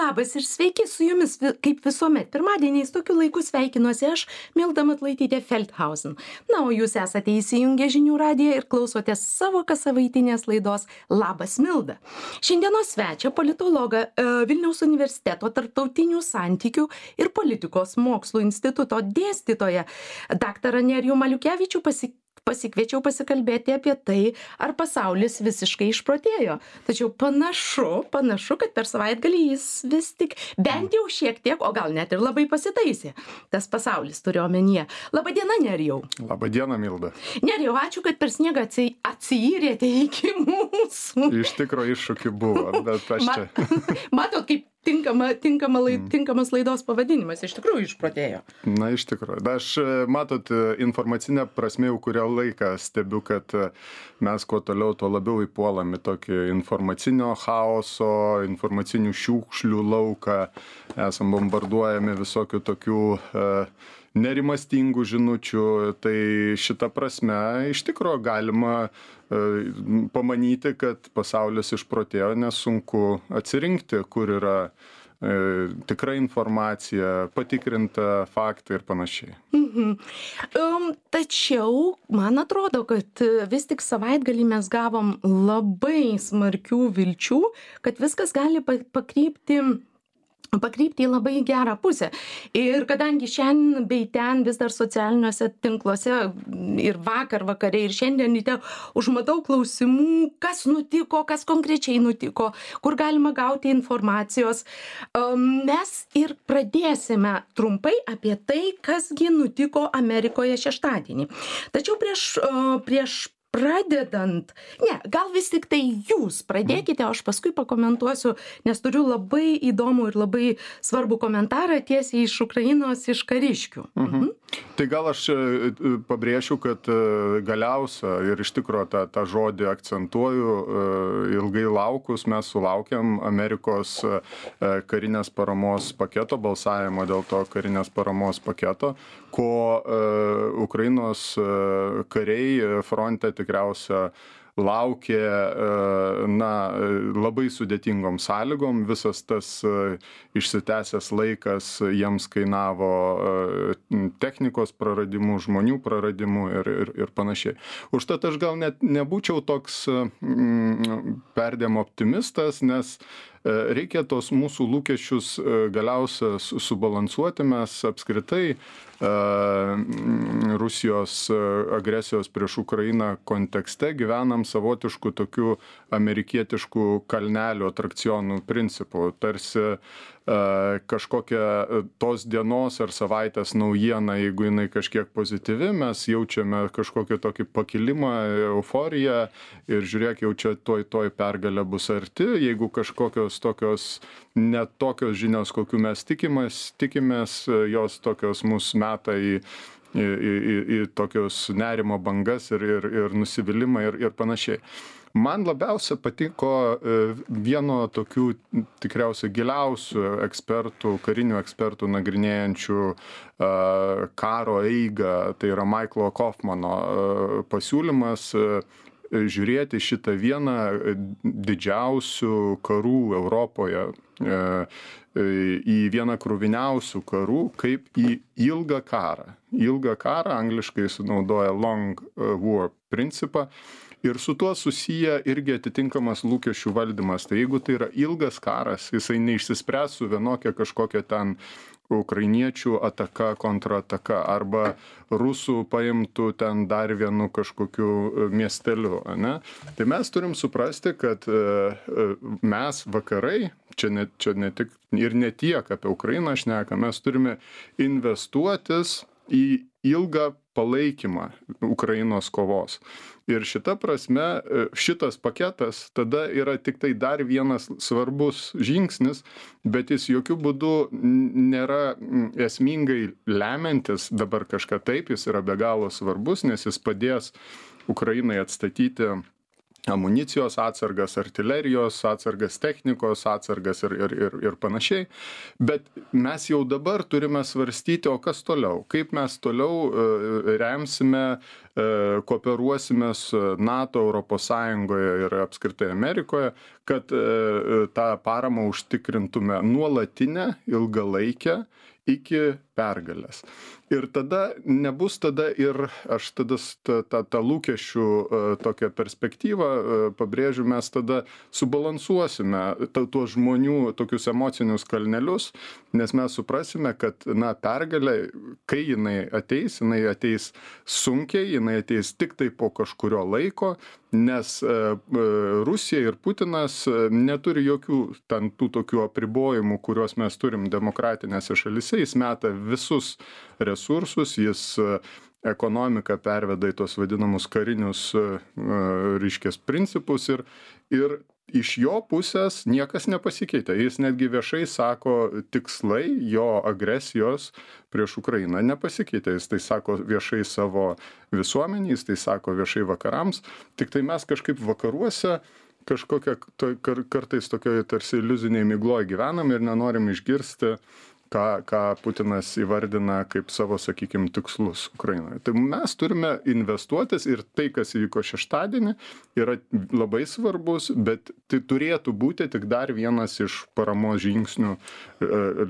Labas ir sveiki su jumis, kaip visuomet. Pirmadieniais tokiu laiku sveikinuosi aš, Milda Matulaitytė Feldhausen. Na, o jūs esate įsijungę žinių radiją ir klausotės savo kasavaitinės laidos Labas Milda. Šiandienos svečia politologą Vilniaus universiteto tarptautinių santykių ir politikos mokslų instituto dėstytoją daktarą Nerijų Maliukevičių pasikviečiau pasikalbėti apie tai, ar pasaulis visiškai išprotėjo. Tačiau panašu, kad per savaitgalį jis vis tik bent jau šiek tiek, o gal net ir labai pasitaisė. Tas pasaulis turiu omenyje. Labadiena, Nerijau. Labadiena, Milda. Nerijau, ačiū, kad per sniegą atsiyrėte iki mūsų. Iš tikro iššūkių buvo, bet aš čia. Matot, kaip tinkamas laidos pavadinimas iš tikrųjų išprotėjo. Na, iš tikrųjų. Aš, matot, informacinę prasme jau kurią laiką stebiu, kad mes kuo toliau, tuo labiau įpuolame tokį informacinio chaoso, informacinių šiukšlių lauką. Esam bombarduojami visokių tokių nerimastingų žinučių. Tai šita prasme iš tikrųjų galima pamanyti, kad pasaulis išprotėjo, nes sunku atsirinkti, kur yra tikra informacija, patikrinta faktai ir panašiai. Tačiau man atrodo, kad vis tik savaitgalį mes gavom labai smarkių vilčių, kad viskas gali pakrypti į labai gerą pusę. Ir kadangi šiandien bei ten vis dar socialiniuose tinkluose ir vakare ir šiandien ryte užmatau klausimų, kas nutiko, kas konkrečiai nutiko, kur galima gauti informacijos, mes ir pradėsime trumpai apie tai, kasgi nutiko Amerikoje šeštadienį. Tačiau prieš pradedant, gal vis tik tai jūs pradėkite, o aš paskui pakomentuosiu, nes turiu labai įdomų ir labai svarbų komentarą tiesiai iš Ukrainos, iš kariškių. Tai gal aš pabrėšiu, kad galiausia ir iš tikrųjų tą žodį akcentuoju, ilgai laukus mes sulaukėm Amerikos karinės paramos paketo, balsavimo dėl to karinės paramos paketo, ko Ukrainos kariai fronte tikriausia laukė labai sudėtingom sąlygom. Visas tas išsitęsęs laikas jiems kainavo technikos praradimų, žmonių praradimų ir panašiai. Užtat aš gal net nebūčiau toks perdėm optimistas, nes reikia tos mūsų lūkesčius galiausia subalansuoti. Mes apskritai Rusijos agresijos prieš Ukrainą kontekste gyvenam savotiškų tokių amerikietiškų kalnelių atrakcionų principų. Tarsi kažkokia tos dienos ar savaitės naujiena, jeigu jinai kažkiek pozityvi, mes jaučiame kažkokį tokį pakilimą, euforiją ir žiūrėk, jau čia tuoj pergalė bus arti. Jeigu kažkokios tokios net tokios žinios, kokių mes tikimės, jos tokios mus meta į tokios nerimo bangas ir nusivylimą ir panašiai. Man labiausia patiko vieno tokių tikriausiai giliausių ekspertų, karinių ekspertų nagrinėjančių karo eigą, tai yra Michaelo Kaufmano pasiūlymas žiūrėti šitą vieną didžiausių karų Europoje, į vieną kruviniausių karų, kaip į ilgą karą. Ilgą karą angliškai sunaudoja long war principą. Ir su tuo susiję irgi atitinkamas lūkesčių valdymas. Tai jeigu tai yra ilgas karas, jisai neišsispręs su vienokia kažkokia ten ukrainiečių ataka, kontrataka arba rusų paimtų ten dar vienu kažkokiu miesteliu, ne? Tai mes turim suprasti, kad mes vakarai, čia ne tik ir ne tiek apie Ukrainą šneka, mes turime investuotis į ilgą palaikymą Ukrainos kovos. Ir šita prasme, šitas paketas tada yra tik tai dar vienas svarbus žingsnis, bet jis jokių būdų nėra esmingai lemiantis dabar kažką. Taip, jis yra be galo svarbus, nes jis padės Ukrainai atstatyti amunicijos atsargas, artilerijos atsargas, technikos atsargas ir panašiai. Bet mes jau dabar turime svarstyti, o kas toliau? Kaip mes toliau remsime kooperuosimės NATO, Europos Sąjungoje ir apskritai Amerikoje, kad tą paramą užtikrintume nuolatinę, ilgalaikę iki pergalės. Ir tada nebus tada ir aš tada tą lūkesčių tokią perspektyvą pabrėžiu, mes tada subalansuosime tuos žmonių tokius emocinius kalnelius, nes mes suprasime, kad pergalė, kai jinai ateis sunkiai, jinai ateis tik tai po kažkurio laiko, nes Rusija ir Putinas neturi jokių tų tokių apribojimų, kuriuos mes turim demokratinėse šalyse, jis meta visus resursus, jis ekonomiką perveda į tos vadinamus karinius reiškias principus ir iš jo pusės niekas nepasikeitė. Jis netgi viešai sako, tikslai jo agresijos prieš Ukrainą nepasikeitė. Jis tai sako viešai savo visuomenį, jis tai sako viešai vakarams. Tik tai mes kažkaip vakaruose kažkokia kartais tokioje tarsi iliuziniai migloj gyvenam ir nenorim išgirsti, ką Putinas įvardina kaip savo, sakykime, tikslus Ukrainoje. Tai mes turime investuotis ir tai, kas įvyko šeštadienį, yra labai svarbus, bet tai turėtų būti tik dar vienas iš paramos žingsnių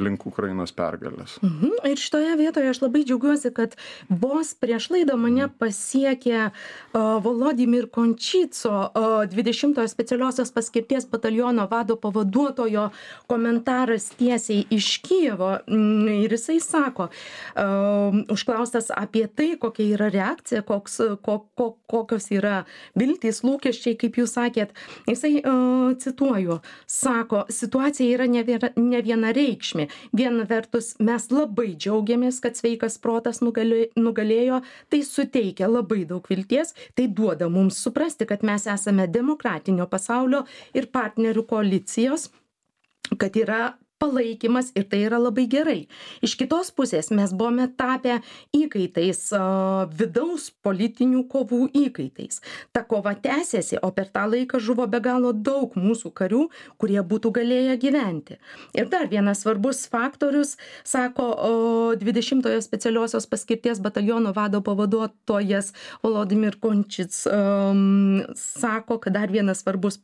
link Ukrainos pergalės. Ir šitoje vietoje aš labai džiaugiuosi, kad vos prieš laidą mane pasiekė Volodymyr Končyco, 20-ojo specialiosios paskirties bataliono vado pavaduotojo komentaras tiesiai iš Kijevo. Ir jisai sako, užklaustas apie tai, kokia yra reakcija, kokios yra viltys, lūkesčiai, kaip jūs sakėt, jisai, cituoju, sako, situacija yra ne vienareikšmė. Viena vertus, mes labai džiaugiamės, kad sveikas protas nugalėjo, tai suteikia labai daug vilties, tai duoda mums suprasti, kad mes esame demokratinio pasaulio ir partnerių koalicijos, kad yra palaikymas ir tai yra labai gerai. Iš kitos pusės mes buvome tapę įkaitais, vidaus politinių kovų įkaitais. Ta kova tęsiasi, o per tą laiką žuvo be galo daug mūsų karių, kurie būtų galėję gyventi. Ir dar vienas svarbus faktorius, sako 20-ojo specialiosios paskirties bataliono vado pavaduotojas Volodymyr Končic, sako, kad dar vienas svarbus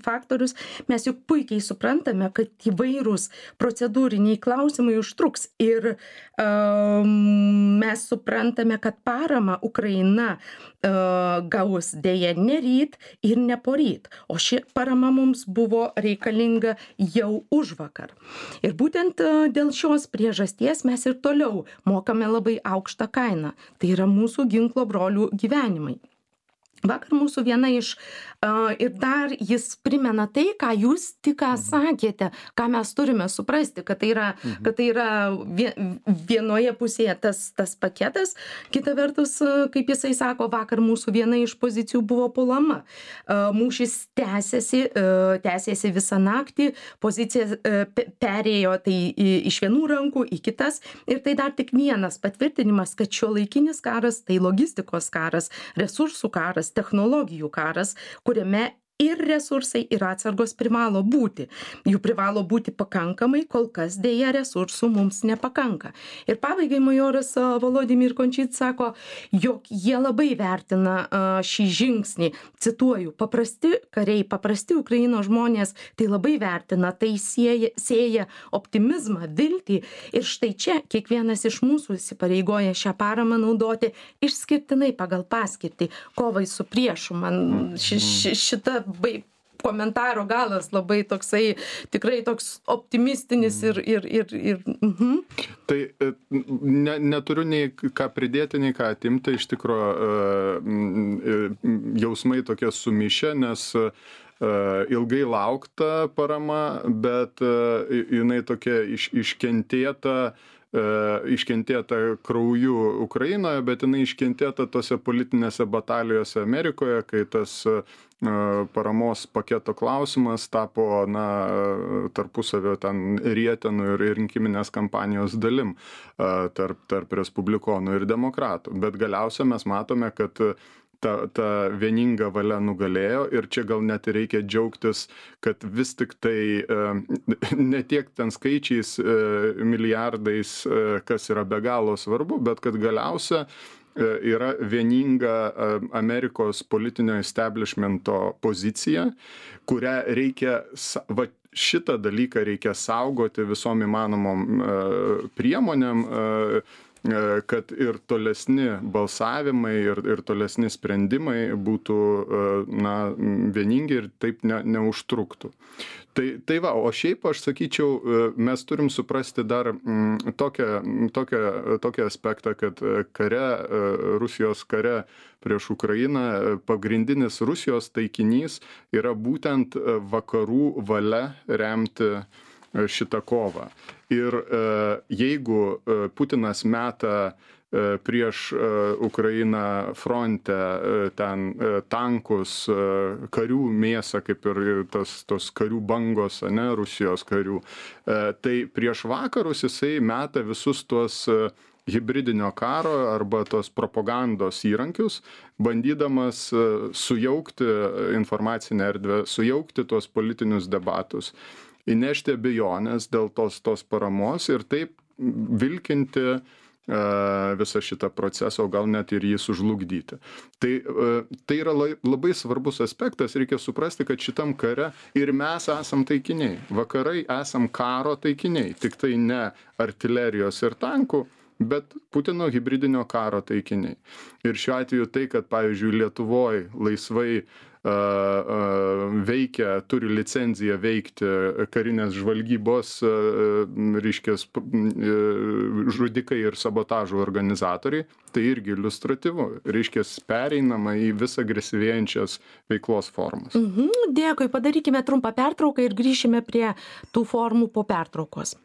faktorius, mes juk puikiai suprantame, kad įvairūs procedūriniai klausimai užtruks ir mes suprantame, kad paramą Ukraina gaus dėja ne ryt ir ne poryt, o ši parama mums buvo reikalinga jau užvakar. Ir būtent dėl šios priežasties mes ir toliau mokame labai aukštą kainą. Tai yra mūsų ginklo brolių gyvenimai. Vakar mūsų viena iš, ir dar jis primena tai, ką jūs tik sakėte, ką mes turime suprasti, kad tai yra vienoje pusėje tas paketas, kita vertus, kaip jisai sako, vakar mūsų viena iš pozicijų buvo puolama. Mūšis tęsėsi visą naktį, pozicija perėjo tai iš vienų rankų į kitas ir tai dar tik vienas patvirtinimas, kad šiuolaikinis karas tai logistikos karas, resursų karas, technologijų karas, kuriame ir resursai, ir atsargos privalo būti. Jų privalo būti pakankamai, kol kas dėja resursų mums nepakanka. Ir pabaigai majoras Volodymyr Končyc sako, jog jie labai vertina šį žingsnį. Cituoju, paprasti kariai, paprasti Ukrainos žmonės tai labai vertina, tai sėja optimizmą, viltį. Ir štai čia kiekvienas iš mūsų įsipareigoja šią paramą naudoti išskirtinai pagal paskirtį, kovai su priešu. Man šita komentaro galas labai toksai, tikrai toks optimistinis ir. Tai neturiu nei ką pridėti, nei ką atimti, iš tikrųjų jausmai tokie sumišę, nes ilgai laukta parama, bet jinai tokia iškentėta krauju Ukrainoje, bet jinai iškentėta tose politinėse batalijose Amerikoje, kai tas paramos paketo klausimas tapo tarpusavio ten rietenų ir rinkiminės kampanijos dalim tarp respublikonų ir demokratų. Bet galiausiai mes matome, kad ta vieninga valia nugalėjo ir čia gal net reikia džiaugtis, kad vis tik tai ne tiek ten skaičiais, milijardais, kas yra be galo svarbu, bet kad galiausia yra vieninga Amerikos politinio establishmento pozicija, kurią reikia, va, šitą dalyką reikia saugoti visom įmanomom priemonėm, kad ir tolesni balsavimai ir tolesni sprendimai būtų vieningi ir taip neužtruktų. Tai va, o šiaip aš sakyčiau, mes turim suprasti dar tokį aspektą, kad Rusijos kare prieš Ukrainą pagrindinis Rusijos taikinys yra būtent vakarų valia remti šitą kovą. Ir jeigu Putinas meta prieš Ukrainą fronte ten tankus, karių mėsą, kaip ir tos karių bangos, ane, Rusijos karių, tai prieš vakarus jisai meta visus tuos hibridinio karo arba tos propagandos įrankius, bandydamas sujaukti informacinę erdvę, sujaukti tuos politinius debatus, įnešti abejonės dėl tos paramos ir taip vilkinti visą šitą procesą, o gal net ir jį sužlugdyti. Tai yra labai svarbus aspektas, reikia suprasti, kad šitam kare ir mes esam taikiniai. Vakarai esam karo taikiniai, tik tai ne artilerijos ir tankų, bet Putino hibridinio karo taikiniai. Ir šiuo atveju tai, kad, pavyzdžiui, Lietuvoj laisvai veikia, turi licenciją veikti karinės žvalgybos, reiškias, žudikai ir sabotažo organizatoriai, tai irgi iliustratyvu, reiškias, pereinama į vis agresyvėjančias veiklos formas. Dėkui, padarykime trumpą pertrauką ir grįšime prie tų formų po pertraukos.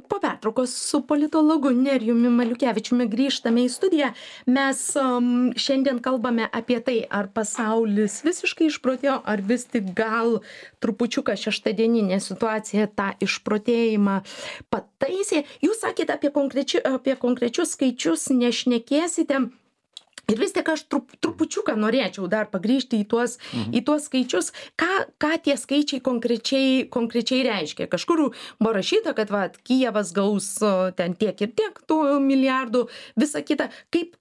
Po pertraukos su politologu Nerijumi Maliukevičiumi grįžtame į studiją. Mes šiandien kalbame apie tai, ar pasaulis visiškai išprotėjo, ar vis tik gal trupučiuką šeštadieninė situacija tą išprotėjimą pataisė. Jūs sakėte apie konkrečius skaičius, nešnekėsite. Ir vis tik aš trupučiuką norėčiau dar pagrįžti į tuos skaičius, ką tie skaičiai konkrečiai reiškia. Kažkur buvo rašyta, kad Kijevas gaus ten tiek ir tiek tų milijardų, visa kita. Kaip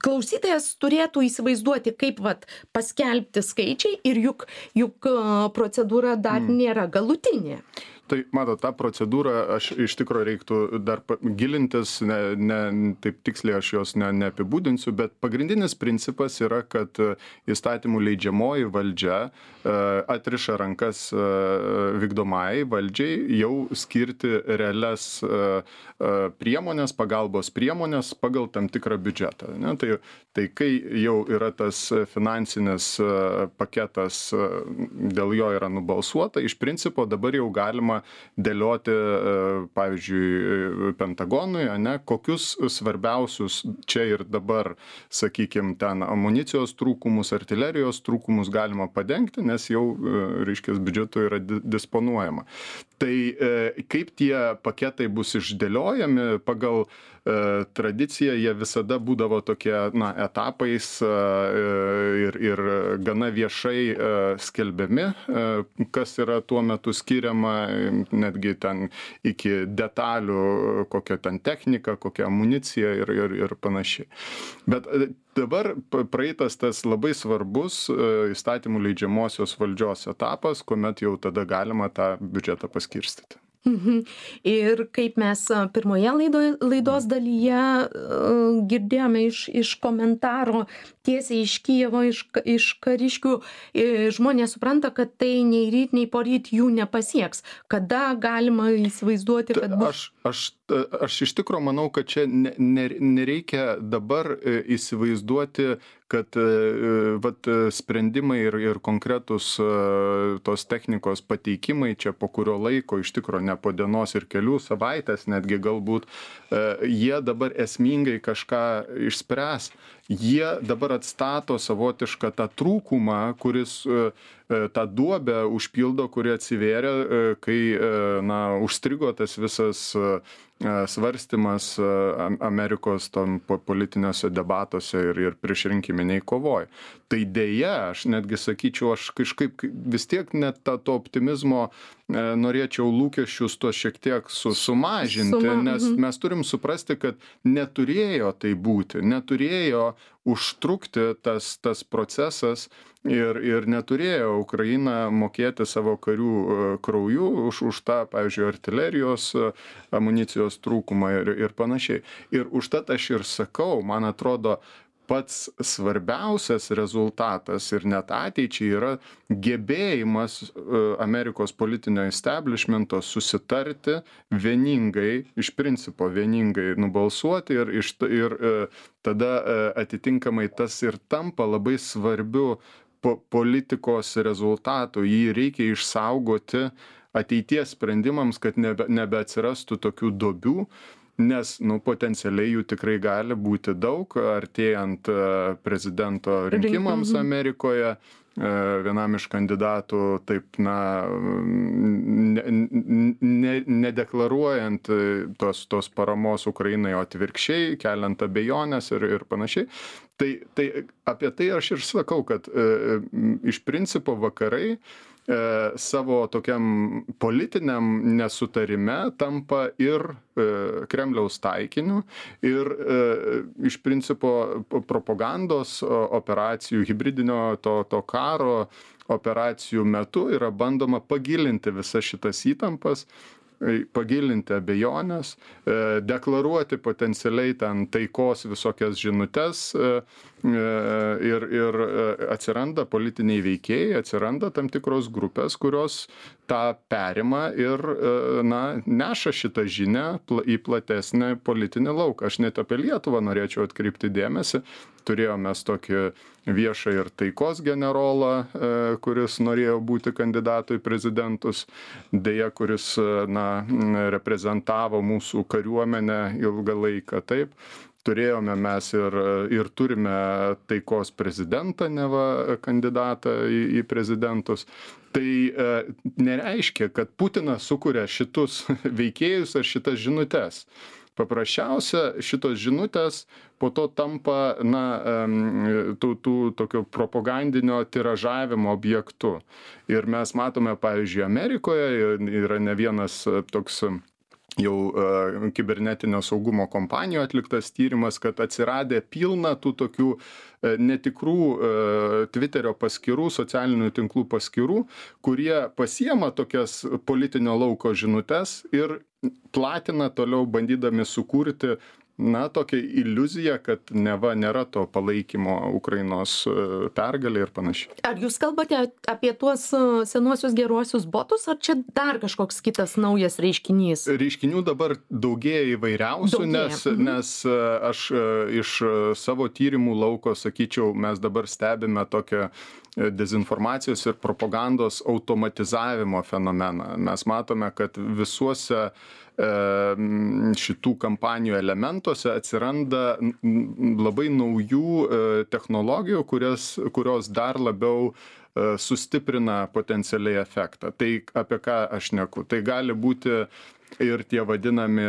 klausytojas turėtų įsivaizduoti, kaip paskelbti skaičiai ir juk procedūra dar nėra galutinė. Tai, matot, tą procedūrą aš iš tikrųjų reiktų dar gilintis, taip tiksliai aš jos neapibūdinsiu, bet pagrindinis principas yra, kad įstatymų leidžiamoji valdžia atriša rankas vykdomai valdžiai jau skirti realias priemonės, pagalbos priemonės pagal tam tikrą biudžetą. Ne? Tai kai jau yra tas finansinis paketas, dėl jo yra nubalsuota, iš principo dabar jau galima dėlioti, pavyzdžiui, Pentagonui, kokius svarbiausius čia ir dabar, sakykime, ten amunicijos trūkumus, artilerijos trūkumus galima padengti, nes jau, reiškia, biudžetu yra disponuojama. Tai kaip tie paketai bus išdėliojami pagal tradiciją, jie visada būdavo tokie, etapais ir gana viešai skelbiami, kas yra tuo metu skiriama, netgi ten iki detalių, kokia ten technika, kokia amunicija ir panašiai. Bet dabar praeitas tas labai svarbus įstatymų leidžiamosios valdžios etapas, kuomet jau tada galima tą biudžetą paskirstyti. Ir kaip mes pirmoje laidos dalyje girdėjome iš komentaro tiesiai iš Kijevo, iš kariškių, žmonės supranta, kad tai nei ryt, nei poryt jų nepasieks. Kada galima įsivaizduoti, kad bus? Aš iš tikrųjų manau, kad čia nereikia dabar įsivaizduoti, kad sprendimai ir konkretus tos technikos pateikimai čia po kurio laiko, iš tikrųjų ne po dienos ir kelių savaitės, netgi galbūt jie dabar esmingai kažką išspręs. Jie dabar atstato savotišką tą trūkumą, kuris tą duobę užpildo, kuri atsivėrė, kai užstrigo tas visas svarstymas Amerikos tam politiniuose debatuose ir priešrinkiminiai kovoj. Tai dėja, aš netgi sakyčiau, aš kažkaip vis tiek net to optimizmo norėčiau lūkesčius to šiek tiek sumažinti, nes mes turim suprasti, kad neturėjo tai būti, neturėjo užtrukti tas procesas ir neturėjo Ukraina mokėti savo karių krauju už tą, pavyzdžiui, artilerijos amunicijos trūkumą ir panašiai. Ir užtat aš ir sakau, man atrodo, pats svarbiausias rezultatas ir net ateičiai yra gebėjimas Amerikos politinio establishmento susitarti vieningai, iš principo vieningai nubalsuoti ir tada atitinkamai tas ir tampa labai svarbiu politikos rezultatų. Jį reikia išsaugoti ateities sprendimams, kad nebeatsirastų tokių duobių. Nes, potencialiai jų tikrai gali būti daug, artėjant prezidento rinkimams Amerikoje, vienam iš kandidatų taip, nedeklaruojant tos paramos Ukrainai, o atvirkščiai, keliant abejonės ir panašiai. Tai apie tai aš ir sakau, kad iš principo vakarai savo tokiam politiniam nesutarime tampa ir Kremliaus taikiniu ir iš principo propagandos operacijų, hibridinio to karo operacijų metu yra bandoma pagilinti visas šitas įtampas, pagilinti abejonės, deklaruoti potencialiai ten taikos visokias žinutes ir atsiranda politiniai veikėjai, atsiranda tam tikros grupės, kurios tą perima ir neša šitą žinią į platesnį politinį lauką. Aš net apie Lietuvą norėčiau atkreipti dėmesį. Turėjome tokį viešą ir taikos generolą, kuris norėjo būti kandidatu į prezidentus, deja, kuris reprezentavo mūsų kariuomenę ilgą laiką. Taip, turėjome mes ir turime taikos prezidentą, neva kandidatą į prezidentus. Tai nereiškia, kad Putinas sukuria šitus veikėjus ar šitas žinutes. Paprasčiausia, šitos žinutės po to tampa tokio propagandinio tiražavimo objektu. Ir mes matome, pavyzdžiui, Amerikoje yra ne vienas toks jau kibernetinio saugumo kompanijų atliktas tyrimas, kad atsiradė pilna tų tokių netikrų Twitterio paskyrų, socialinių tinklų paskyrų, kurie pasiema tokias politinio lauko žinutes ir platina toliau, bandydami sukurti tokią iliuziją, kad neva nėra to palaikymo Ukrainos pergalė ir panašiai. Ar jūs kalbate apie tuos senuosius geruosius botus, ar čia dar kažkoks kitas naujas reiškinys? Reiškinių dabar daugėja įvairiausių, nes aš iš savo tyrimų lauko sakyčiau, mes dabar stebime tokią dezinformacijos ir propagandos automatizavimo fenomeną. Mes matome, kad visuose šitų kampanijų elementuose atsiranda labai naujų technologijų, kurios dar labiau sustiprina potencialiai efektą. Tai apie ką aš šneku? Tai gali būti ir tie vadinami,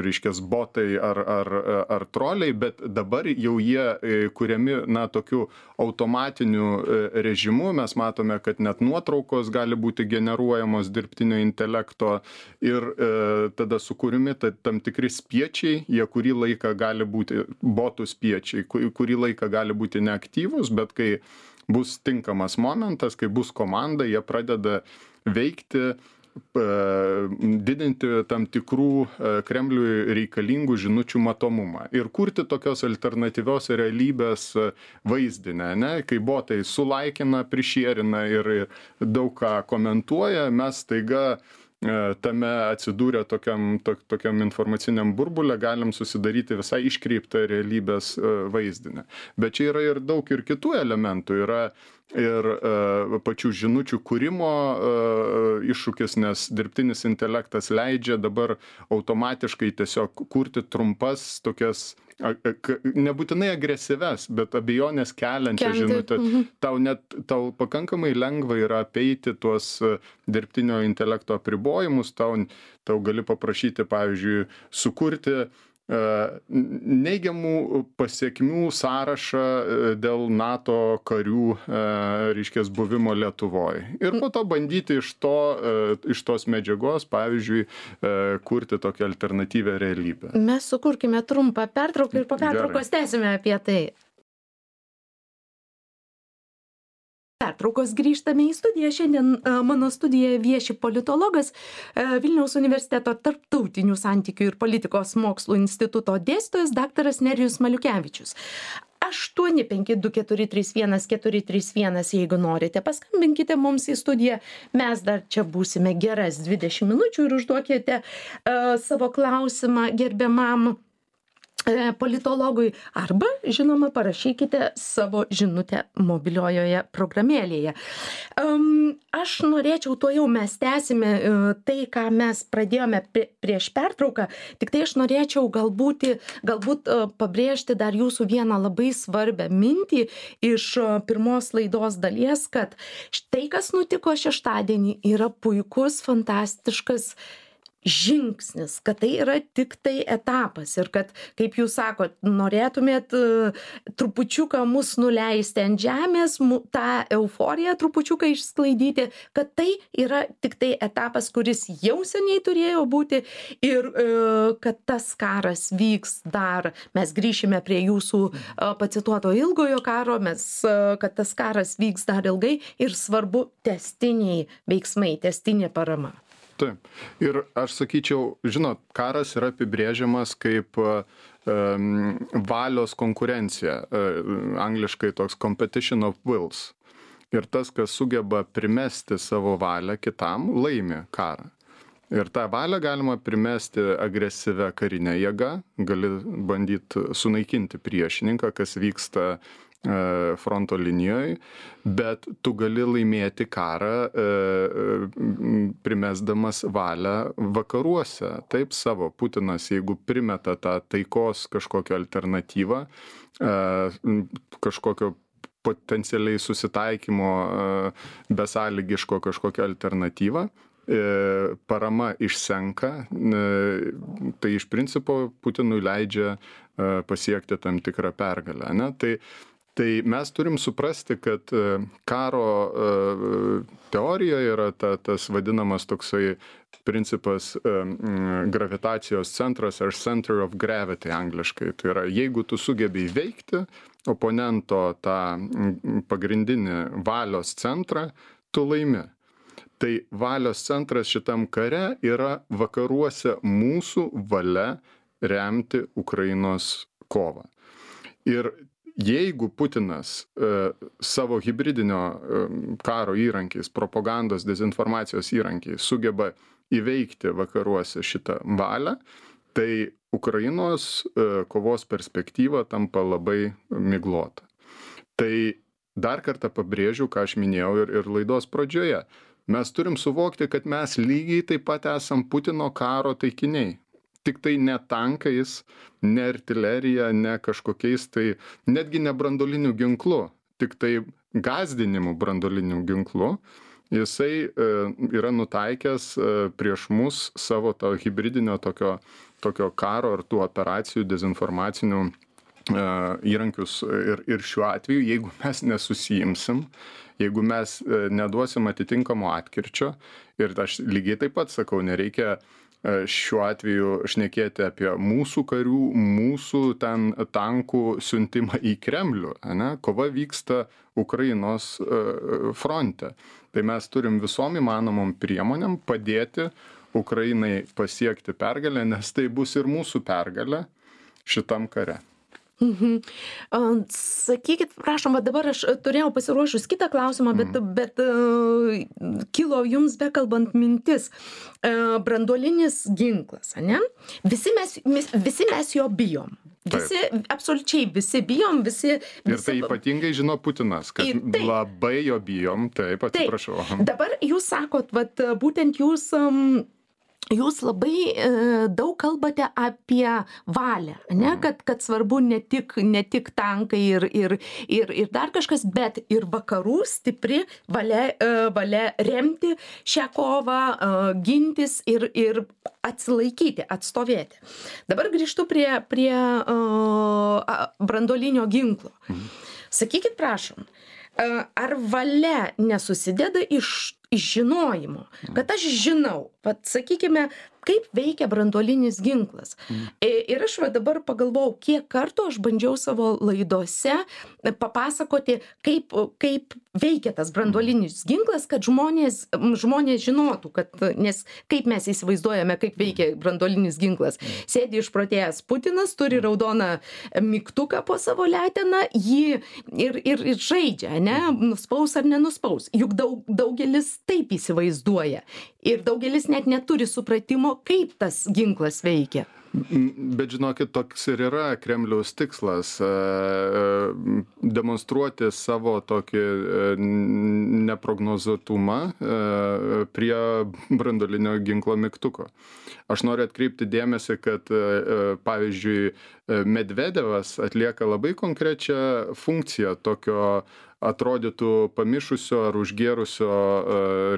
reiškias, botai ar troliai, bet dabar jau jie kuriami, tokiu automatiniu režimu. Mes matome, kad net nuotraukos gali būti generuojamos dirbtinio intelekto ir tada sukūrimi tam tikri spiečiai, jie kurį laiką gali būti botų spiečiai, kurį laiką gali būti neaktyvus, bet kai bus tinkamas momentas, kai bus komanda, jie pradeda veikti, didinti tam tikrų Kremliui reikalingų žinučių matomumą ir kurti tokios alternatyvios realybės vaizdinę, kai botai sulaikina, prišierina ir daug ką komentuoja, mes staiga tame atsidūrę tokiam informaciniam burbule galim susidaryti visai iškreiptą realybės vaizdinę. Bet čia yra ir daug ir kitų elementų. Yra ir pačių žinučių kūrimo iššūkis, nes dirbtinis intelektas leidžia dabar automatiškai tiesiog kurti trumpas tokias nebūtinai agresyvias, bet abejonės keliančią žinutę. Tau pakankamai lengva yra apeiti tuos dirbtinio intelekto apribojimus, tau gali paprašyti, pavyzdžiui, sukurti neigiamų pasekmių sąrašą dėl NATO karių, reiškia, buvimo Lietuvoje. Ir po to bandyti iš tos medžiagos, pavyzdžiui, kurti tokią alternatyvę realybę. Mes sukurkime trumpą pertrauką ir po pertraukos tęsime apie tai. Pertraukos grįžtame į studiją. Šiandien mano studijoje vieši politologas, Vilniaus universiteto tarptautinių santykių ir politikos mokslų instituto dėstytojas daktaras Nerijus Maliukevičius. 852431431, jeigu norite, paskambinkite mums į studiją. Mes dar čia būsime geras 20 minučių ir užduokite savo klausimą gerbiamam politologui arba, žinoma, parašykite savo žinutę mobiliojoje programėlėje. Aš norėčiau, tuojau mes tęsime tai, ką mes pradėjome prieš pertrauką, tik tai aš norėčiau galbūt pabrėžti dar jūsų vieną labai svarbią mintį iš pirmos laidos dalies, kad štai kas nutiko šeštadienį yra puikus, fantastiškas žingsnis, kad tai yra tik tai etapas ir kad, kaip jūs sakot, norėtumėt trupučiuką mus nuleisti ant žemės, tą euforiją trupučiuką išsklaidyti, kad tai yra tik tai etapas, kuris jau seniai turėjo būti ir kad tas karas vyks dar, mes grįšime prie jūsų pacituoto ilgojo karo, kad tas karas vyks dar ilgai ir svarbu tęstiniai veiksmai, tęstinė parama. Taip. Ir aš sakyčiau, žinot, karas yra apibrėžiamas kaip valios konkurencija, angliškai toks competition of wills. Ir tas, kas sugeba primesti savo valią kitam, laimi karą. Ir tą valią galima primesti agresyvę karinę jėgą, gali bandyti sunaikinti priešininką, kas vyksta fronto linijoje, bet tu gali laimėti karą primesdamas valią vakaruose. Taip savo Putinas, jeigu primeta tą taikos kažkokią alternatyvą, kažkokio potencialiai susitaikymo besąlygiško kažkokią alternatyvą, parama išsenka, tai iš principo Putinui leidžia pasiekti tam tikrą pergalę. Ne? Tai mes turim suprasti, kad karo teorijoje yra tas vadinamas toksai principas gravitacijos centras ar center of gravity angliškai. Tai yra, jeigu tu sugebi įveikti oponento tą pagrindinį valios centrą, tu laimi. Tai valios centras šitam kare yra vakaruose mūsų valia remti Ukrainos kovą. Ir jeigu Putinas savo hibridinio karo įrankiais, propagandos, dezinformacijos įrankiais sugeba įveikti vakaruose šitą valią, tai Ukrainos kovos perspektyva tampa labai miglota. Tai dar kartą pabrėžiu, ką aš minėjau ir laidos pradžioje. Mes turim suvokti, kad mes lygiai taip pat esam Putino karo taikiniai. Tik tai ne tankais, ne artilerija, ne kažkokiais tai, netgi ne brandoliniu ginklu, tik tai gąsdinimu brandoliniu ginklu, jisai yra nutaikęs prieš mus savo to hibridinio tokio karo ar tų operacijų dezinformacinių įrankius ir šiuo atveju, jeigu mes nesusijimsim, jeigu mes neduosim atitinkamo atkirčio, ir aš lygiai taip pat sakau, nereikia šiuo atveju šnekėti apie mūsų karių, mūsų ten tankų siuntimą į Kremlių. Ne? Kova vyksta Ukrainos fronte. Tai mes turim visom įmanomom priemonėm padėti Ukrainai pasiekti pergalę, nes tai bus ir mūsų pergalė šitam kare. Sakykit, prašom, dabar aš turėjau pasiruošus kitą klausimą, bet kilo jums bekalbant mintis. Branduolinis ginklas, ane? Visi mes jo bijom. Absoliučiai visi bijom, visi... Ir tai ypatingai žino Putinas, kad labai jo bijom, taip, atsiprašau. Dabar jūs sakot, būtent jūs... jūs labai daug kalbate apie valią, ne? Kad svarbu ne tik tankai ir dar kažkas, bet ir vakarų stipri valia remti šią kovą, gintis ir atsilaikyti, atstovėti. Dabar grįžtu prie branduolinio ginklo. Sakykit, prašom, ar valia nesusideda iš žinojimo, kad aš žinau, vat sakykime, kaip veikia branduolinis ginklas. Ir aš va dabar pagalvojau, kiek kartų aš bandžiau savo laidose papasakoti, kaip veikia tas branduolinis ginklas, kad žmonės žinotų, nes kaip mes įsivaizduojame, kaip veikia branduolinis ginklas. Sėdi išprotėjęs Putinas, turi raudoną mygtuką po savo leteną, jį ir žaidžia, ne, nuspaus ar nenuspaus. Juk daugelis taip įsivaizduoja. Ir daugelis net neturi supratimo, kaip tas ginklas veikia. Bet žinokit, toks ir yra Kremliaus tikslas - demonstruoti savo tokį neprognozuotumą prie branduolinio ginklo mygtuko. Aš noriu atkreipti dėmesį, kad pavyzdžiui Medvedevas atlieka labai konkrečią funkciją tokio atrodytų pamišusio ar užgėrusio,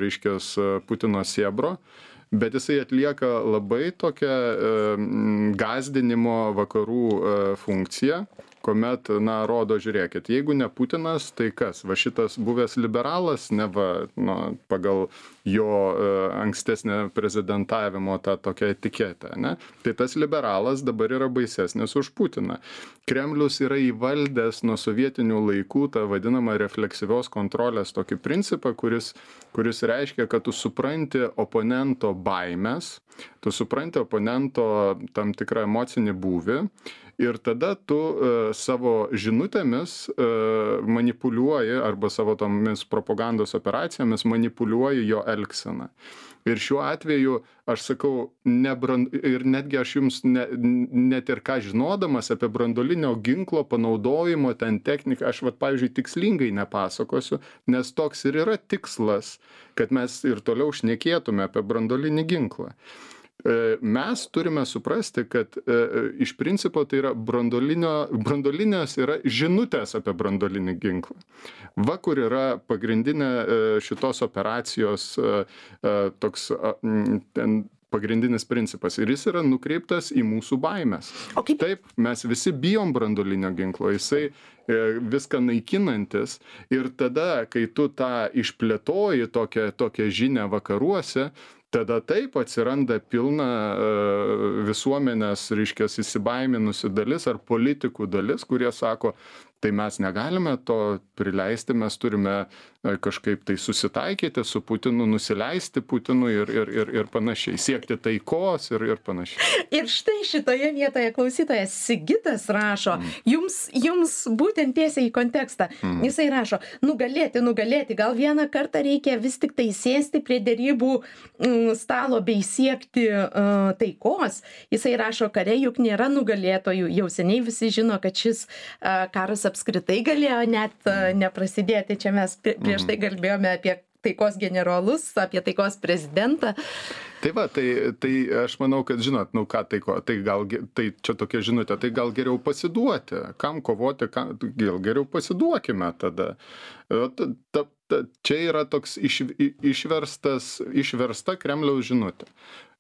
reiškias, Putino sėbro, bet jisai atlieka labai tokią gąsdinimo vakarų funkciją, kuomet, na, rodo, žiūrėkit, jeigu ne Putinas, tai kas? Va šitas buvęs liberalas, neva, nu, pagal jo ankstesnę prezidentavimo tą tokią etiketę, ne? Tai tas liberalas dabar yra baisesnis už Putiną. Kremlius yra įvaldęs nuo sovietinių laikų tą vadinamą refleksyvios kontrolės tokį principą, kuris reiškia, kad tu supranti oponento baimės, tu supranti oponento tam tikrą emocinį būvį ir tada tu savo žinutėmis manipuliuoji arba savo tomis propagandos operacijomis manipuliuoji jo elgseną. Ir šiuo atveju, aš sakau, ir netgi aš jums net ir ką žinodamas apie branduolinio ginklo panaudojimo ten techniką, aš vat, pavyzdžiui, tikslingai nepasakosiu, nes toks ir yra tikslas, kad mes ir toliau šnekėtume apie branduolinį ginklą. Mes turime suprasti, kad iš principo tai yra branduolinės yra žinutės apie branduolinį ginklą. Va, kur yra pagrindinė šitos operacijos toks ten pagrindinis principas. Ir jis yra nukreiptas į mūsų baimės. Taip, mes visi bijom branduolinio ginklo, jisai viską naikinantis. Ir tada, kai tu tą išplėtoji tokią žinią vakaruose, tada taip atsiranda pilna visuomenės, reiškias, įsibaiminusi dalis ar politikų dalis, kurie sako, tai mes negalime to prileisti, mes turime kažkaip tai susitaikyti su Putinu, nusileisti Putinui ir panašiai, siekti taikos ir panašiai. Ir štai šitoje vietoje klausytojas Sigitas rašo, jums būtent tiesiai į kontekstą. Jisai rašo, nugalėti, gal vieną kartą reikia vis tik tai sėsti prie derybų stalo bei siekti taikos. Jisai rašo, kare juk nėra nugalėtojų, jau seniai visi žino, kad šis karas apskritai galėjo net neprasidėti. Čia mes prieš tai kalbėjome apie taikos generolus, apie taikos prezidentą. Tai va, tai aš manau, kad žinot, nu ką tai čia tokia žinutė, tai gal geriau pasiduoti, kam kovoti, gal geriau pasiduokime tada. Čia yra toks išversta Kremliaus žinutė.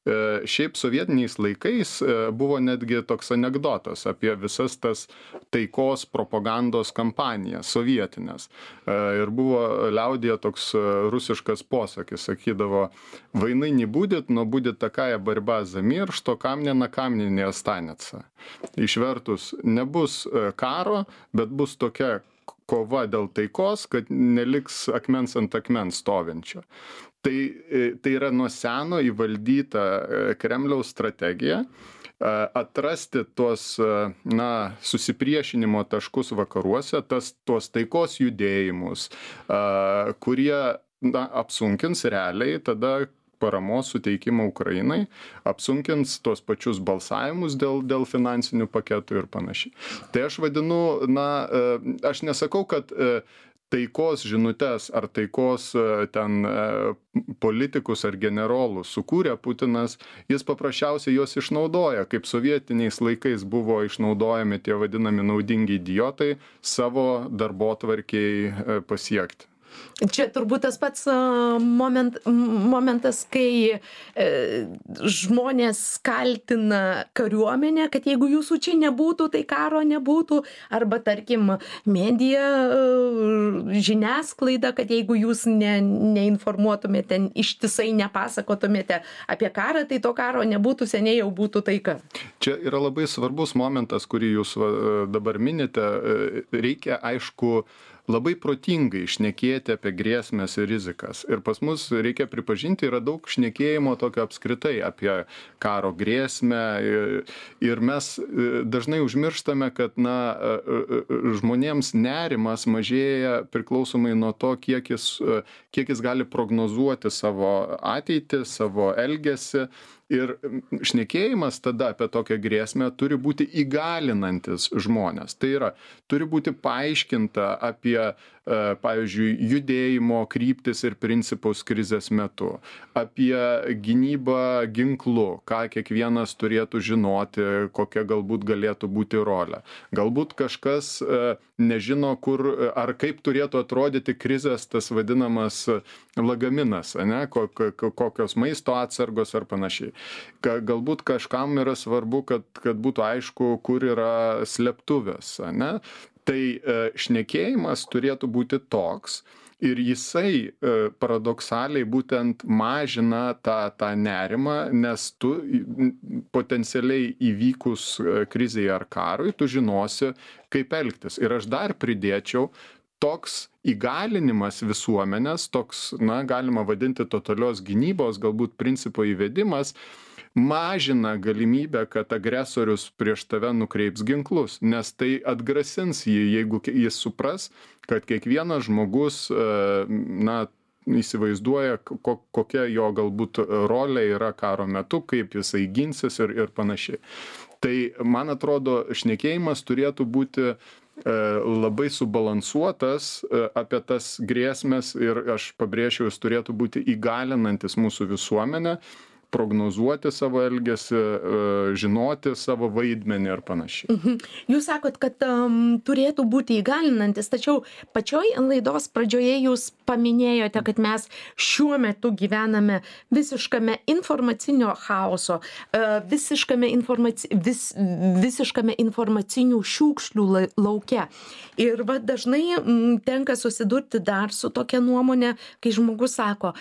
Šiaip sovietiniais laikais buvo netgi toks anekdotas apie visas tas taikos propagandos kampanijas sovietinės. Ir buvo liaudyje toks rusiškas posakis, sakydavo, vainai не будет, но будет такая борьба за мир, что камня на камне не останется. Išvertus, nebus karo, bet bus tokia kova dėl taikos, kad neliks akmens ant akmens stovinčio. Tai yra nuo seno įvaldyta Kremliaus strategija atrasti tuos, na, susipriešinimo taškus vakaruose, tuos taikos judėjimus, kurie, na, apsunkins realiai tada paramos suteikimą Ukrainai, apsunkins tuos pačius balsavimus dėl finansinių paketų ir panašiai. Tai aš vadinu, na, aš nesakau, kad taikos žinutes ar taikos ten politikus ar generolus sukūrė Putinas, jis paprasčiausiai juos išnaudoja, kaip sovietiniais laikais buvo išnaudojami tie vadinami naudingi idiotai savo darbotvarkei pasiekti. Čia turbūt tas pats momentas, kai žmonės kaltina kariuomenę, kad jeigu jūsų čia nebūtų, tai karo nebūtų, arba tarkim medija, žiniasklaida, kad jeigu jūs neinformuotumėte, ištisai nepasakotumėte apie karą, tai to karo nebūtų, seniai jau būtų taika. Čia yra labai svarbus momentas, kurį jūs dabar minite. Reikia, aišku, labai protingai šnekėti apie grėsmes ir rizikas. Ir pas mus, reikia pripažinti, yra daug šnekėjimo tokio apskritai apie karo grėsmę. Ir mes dažnai užmirštame, kad žmonėms nerimas mažėja priklausomai nuo to, kiek jis gali prognozuoti savo ateitį, savo elgesį. Ir šnekėjimas tada apie tokią grėsmę turi būti įgalinantis žmonės. Tai yra, turi būti paaiškinta apie, pavyzdžiui, judėjimo kryptis ir principus krizės metu, apie gynybą ginklu, ką kiekvienas turėtų žinoti, kokia galbūt galėtų būti rolė. Galbūt kažkas nežino, kur ar kaip turėtų atrodyti krizės tas vadinamas lagaminas, ane, kokios maisto atsargos ar panašiai. Galbūt kažkam yra svarbu, kad būtų aišku, kur yra slėptuvės, ane. Tai šnekėjimas turėtų būti toks ir jisai paradoksaliai būtent mažina tą nerimą, nes tu potencialiai įvykus krizei ar karui, tu žinosi, kaip elgtis. Ir aš dar pridėčiau, toks įgalinimas visuomenės, toks, galima vadinti totalios gynybos, galbūt principo įvedimas, mažina galimybę, kad agresorius prieš tave nukreips ginklus, nes tai atgrasins jį, jeigu jis supras, kad kiekvienas žmogus, įsivaizduoja, kokia jo galbūt rolė yra karo metu, kaip jisai ginsis ir panašiai. Tai, man atrodo, šnekėjimas turėtų būti labai subalansuotas apie tas grėsmes ir aš pabrėžiau, jis turėtų būti įgalinantis mūsų visuomenę, prognozuoti savo elgesį, žinoti savo vaidmenį ir panašiai. Jūs sakot, kad turėtų būti įgalinantis, tačiau pačioj laidos pradžioje jūs paminėjote, kad mes šiuo metu gyvename visiškame informacinio chaoso, visiškame informacinių šiukšlių lauke. Ir dažnai tenka susidurti dar su tokia nuomonė, kai žmogus sako,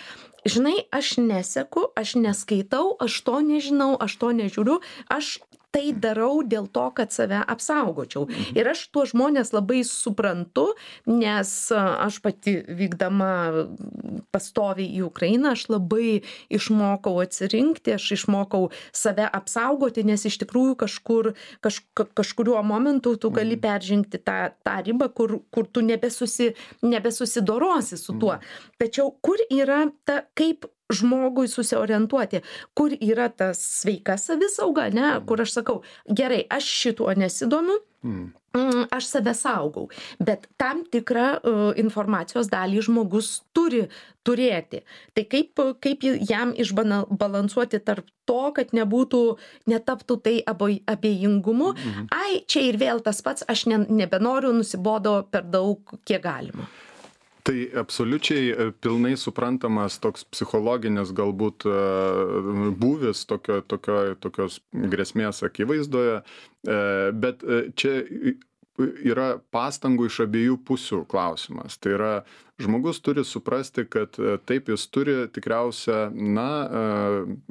žinai, aš neseku, aš neskaitau, aš to nežinau, aš to nežiūriu, aš tai darau dėl to, kad save apsaugočiau. Ir aš tuos žmonės labai suprantu, nes aš pati vykdama pastoviai į Ukrainą, aš labai išmokau atsirinkti, aš išmokau save apsaugoti, nes iš tikrųjų kažkuriuo momentu tu gali peržengti tą ribą, kur tu nebesusidorosi su tuo. Tačiau kur yra kaip žmogui susiorientuoti, kur yra ta sveika savisauga, ne, kur aš sakau, gerai, aš šituo nesidomiu, aš save saugau, bet tam tikrą informacijos dalį žmogus turi turėti. Tai kaip jam išbalansuoti tarp to, kad netaptų tai abejingumu, ai, čia ir vėl tas pats, aš nebenoriu, nusibodo per daug, kiek galima. Tai absoliučiai pilnai suprantamas toks psichologinis galbūt būvis tokios grėsmės akivaizdoje, bet čia yra pastangų iš abiejų pusių klausimas. Tai yra, žmogus turi suprasti, kad taip jis turi tikriausia,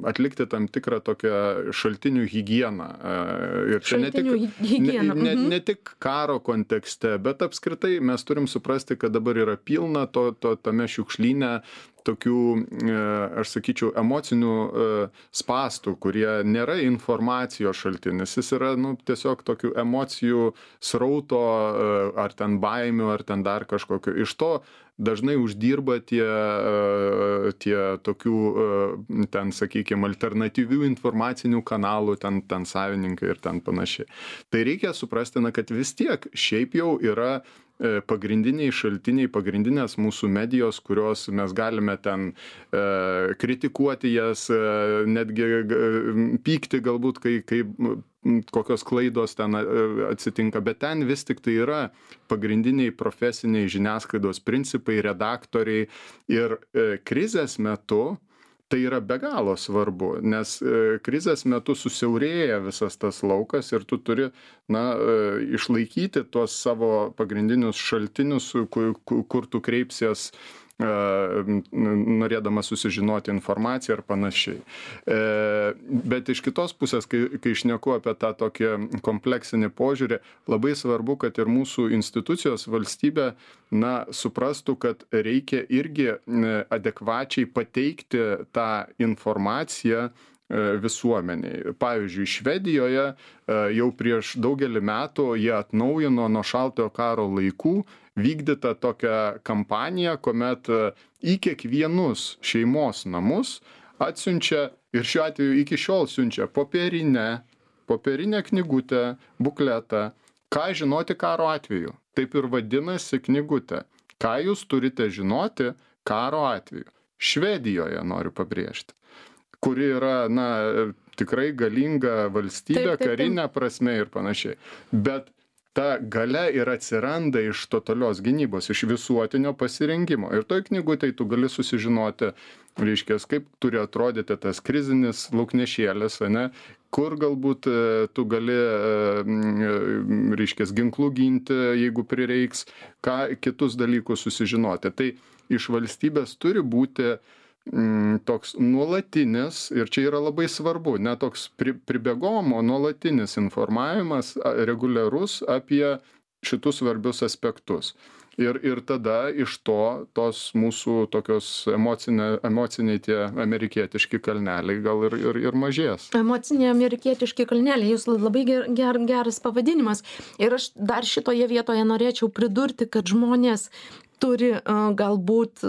atlikti tam tikrą tokią šaltinių higieną. Ir čia ne tik karo kontekste, bet apskritai mes turim suprasti, kad dabar yra pilna tame šiukšlyne tokių, aš sakyčiau, emocinių spastų, kurie nėra informacijos šaltinis. Jis yra tiesiog tokių emocijų srauto, ar ten baimių, ar ten dar kažkokio. Iš to dažnai uždirba tie tokių, ten, sakykime, alternatyvių informacinių kanalų, ten savininkai ir ten panašiai. Tai reikia suprasti, kad vis tiek šiaip jau yra pagrindiniai šaltiniai, pagrindinės mūsų medijos, kurios mes galime ten kritikuoti jas, netgi pykti galbūt, kai kokios klaidos ten atsitinka, bet ten vis tik tai yra pagrindiniai profesiniai žiniasklaidos principai, redaktoriai ir krizės metu tai yra be galo svarbu, nes krizės metu susiaurėja visas tas laukas ir tu turi, išlaikyti tuos savo pagrindinius šaltinius, kur tu kreipsies norėdamas susižinoti informaciją ir panašiai. Bet iš kitos pusės, kai šneku apie tą tokį kompleksinį požiūrį, labai svarbu, kad ir mūsų institucijos valstybė suprastų, kad reikia irgi adekvačiai pateikti tą informaciją visuomeniai. Pavyzdžiui, Švedijoje jau prieš daugelį metų jie atnaujino nuo šaltojo karo laikų vykdytą tokią kampaniją, kuomet į kiekvienus šeimos namus atsiunčia, ir šiuo atveju iki šiol siunčia popierinę knygutę, bukletą, ką žinoti karo atveju. Taip ir vadinasi knygutė. Ką jūs turite žinoti karo atveju. Švedijoje noriu pabrėžti, kuri yra, tikrai galinga valstybė, karinė prasme ir panašiai. Bet ta galia ir atsiranda iš totalios gynybos, iš visuotinio pasirengimo. Ir toj knygutėj tu gali susižinoti, kaip turi atrodyti tas krizinis lauknešėlis, kur galbūt tu gali, ginklų ginti, jeigu prireiks, ką kitus dalykus susižinoti. Tai iš valstybės turi būti toks nuolatinis, ir čia yra labai svarbu, ne toks pribėgom, o nuolatinis informavimas reguliarus apie šitus svarbius aspektus. Ir tada iš tos mūsų tokios emociniai tie amerikietiški kalneliai gal ir mažės. Emociniai amerikietiški kalneliai, jūs labai geras pavadinimas. Ir aš dar šitoje vietoje norėčiau pridurti, kad žmonės turi galbūt,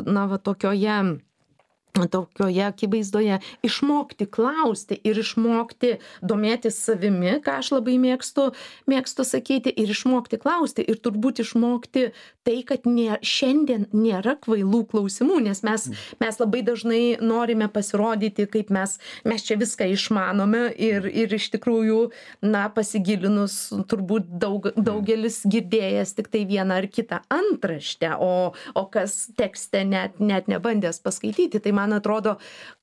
tokioje akivaizdoje išmokti klausti ir išmokti domėtis savimi, ką aš labai mėgstu sakyti, ir išmokti klausti ir turbūt išmokti tai, kad šiandien nėra kvailų klausimų, nes mes labai dažnai norime pasirodyti, kaip mes čia viską išmanome ir iš tikrųjų, pasigilinus, turbūt daugelis girdėjęs tik tai vieną ar kitą antraštę, o kas tekste net nebandęs paskaityti. Tai man atrodo,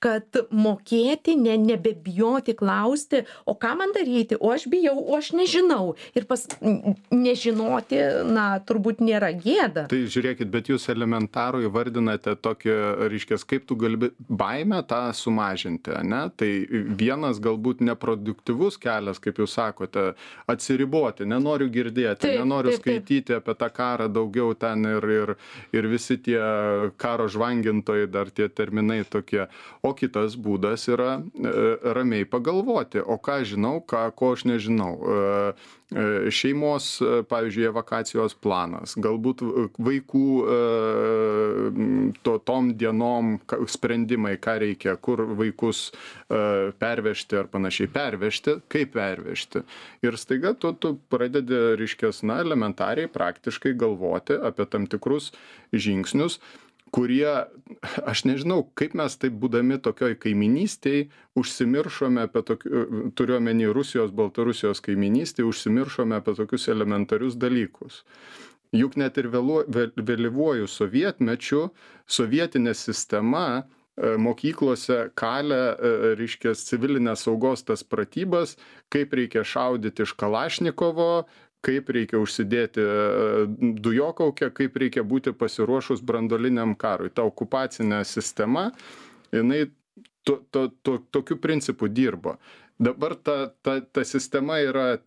kad mokėti, nebebijoti klausti, o ką man daryti, o aš bijau, o aš nežinau. Ir nežinoti, turbūt nėra gėda. Tai žiūrėkit, bet jūs elementarų įvardinate tokį, kaip tu gali baimę tą sumažinti, ne? Tai vienas galbūt neproduktyvus kelias, kaip jūs sakote, atsiriboti, nenoriu girdėti, nenoriu skaityti apie tą karą daugiau ten ir visi tie karo žvangintojai, dar tie terminai tokie. O kitas būdas yra ramiai pagalvoti, o ką žinau, ko aš nežinau. Šeimos, pavyzdžiui, evakuacijos planas, galbūt vaikų tom dienom sprendimai, ką reikia, kur vaikus pervežti ar panašiai pervežti, kaip pervežti. Ir staiga tu pradedi, elementariai, praktiškai galvoti apie tam tikrus žingsnius, kurie, aš nežinau, kaip mes taip būdami tokioj kaiminystėj užsimiršome apie turiu omeny Rusijos, Baltarusijos kaiminystėj, užsimiršome apie tokius elementarius dalykus. Juk net ir vėlyvuoju sovietmečiu, sovietinė sistema mokyklose kalė, civilinės saugos tas pratybas, kaip reikia šaudyti iš Kalašnikovo, kaip reikia užsidėti dujokaukę, kaip reikia būti pasiruošus branduoliniam karui. Ta okupacinė sistema, jinai tokiu principu dirbo. Dabar ta sistema yra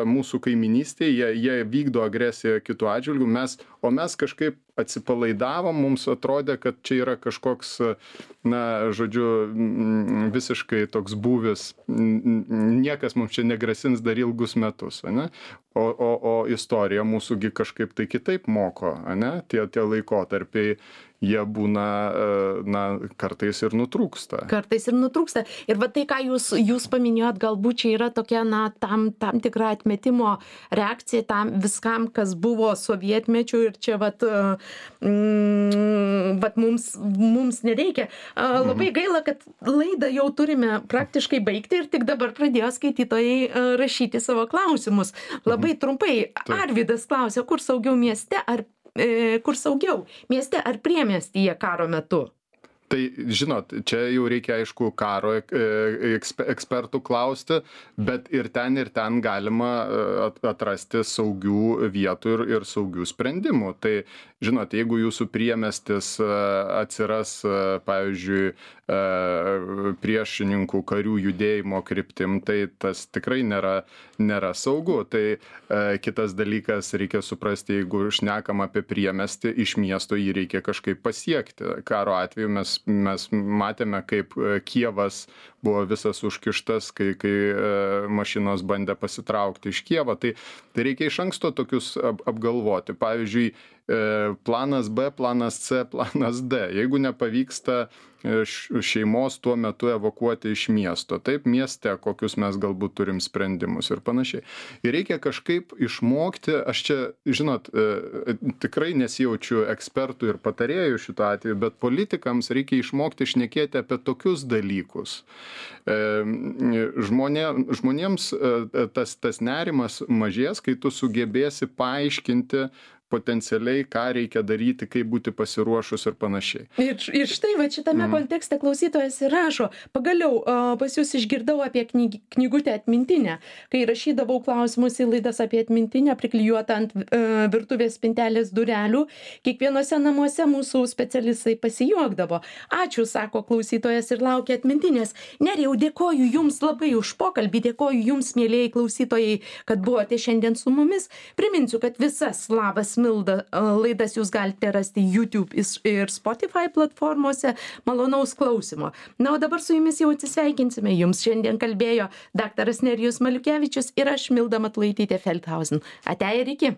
mūsų kaiminystėje, jie vykdo agresiją kitų atžvilgių, o mes kažkaip atsipalaidavom, mums atrodė, kad čia yra kažkoks, na, žodžiu, visiškai toks būvis, niekas mums čia negrasins dar ilgus metus, ane? O istorija mūsųgi kažkaip tai kitaip moko, ane? Tie laikotarpiai, jie būna, na, kartais ir nutrūksta. Kartais ir nutrūksta. Ir va tai, ką jūs paminėjot, galbūt čia yra tokia, na, tam tikra atmetimo reakcija tam viskam, kas buvo sovietmečiu ir čia vat mums nereikia. Labai gaila, kad laidą jau turime praktiškai baigti ir tik dabar pradėjo skaitytojai rašyti savo klausimus. Labai trumpai, Arvydas klausia, kur saugiau mieste ar priemiestyje karo metu? Tai, žinot, čia jau reikia, aišku, karo ekspertų klausti, bet ir ten galima atrasti saugių vietų ir saugių sprendimų. Tai, žinot, jeigu jūsų priemiestis atsiras, pavyzdžiui, priešininkų karių judėjimo kryptim, tai tas tikrai nėra saugu. Tai kitas dalykas, reikia suprasti, jeigu šnekam apie priemiestį, iš miesto jį reikia kažkaip pasiekti. Karo atveju mes matėme, kaip Kijevas buvo visas užkištas, kai mašinos bandė pasitraukti iš Kijevo. Tai reikia iš anksto tokius apgalvoti. Pavyzdžiui, planas B, planas C, planas D. Jeigu nepavyksta šeimos tuo metu evakuoti iš miesto, taip, mieste, kokius mes galbūt turim sprendimus ir panašiai. Ir reikia kažkaip išmokti, aš čia, žinot, tikrai nesijaučiu ekspertų ir patarėjų šituo atveju, bet politikams reikia išmokti šnekėti apie tokius dalykus. Žmonėms tas nerimas mažės, kai tu sugebėsi paaiškinti potencialiai, ką reikia daryti, kaip būti pasiruošus ir panašiai. Ir štai va šitame kontekste klausytojas ir rašo, pagaliau pas jūs išgirdau apie knygutę atmintinę, kai rašydavau klausimus į laidas apie atmintinę priklijuotą ant virtuvės spintelės durelių, kiekvienose namuose mūsų specialistai pasijuokdavo. Ačiū, sako klausytojas ir laukia atmintinės. Nerijau, dėkoju jums labai už pokalbį, dėkoju jums, mielieji klausytojai, kad buvote šiandien su mumis. Priminsiu, kad visas Labas Milda laidas jūs galite rasti YouTube ir Spotify platformose. Malonaus klausimo. Na, o dabar su jumis jau atsisveikinsime. Jums šiandien kalbėjo daktaras Nerijus Maliukevičius ir aš, Milda Matulaitytė Feldhausen. Ate ir iki.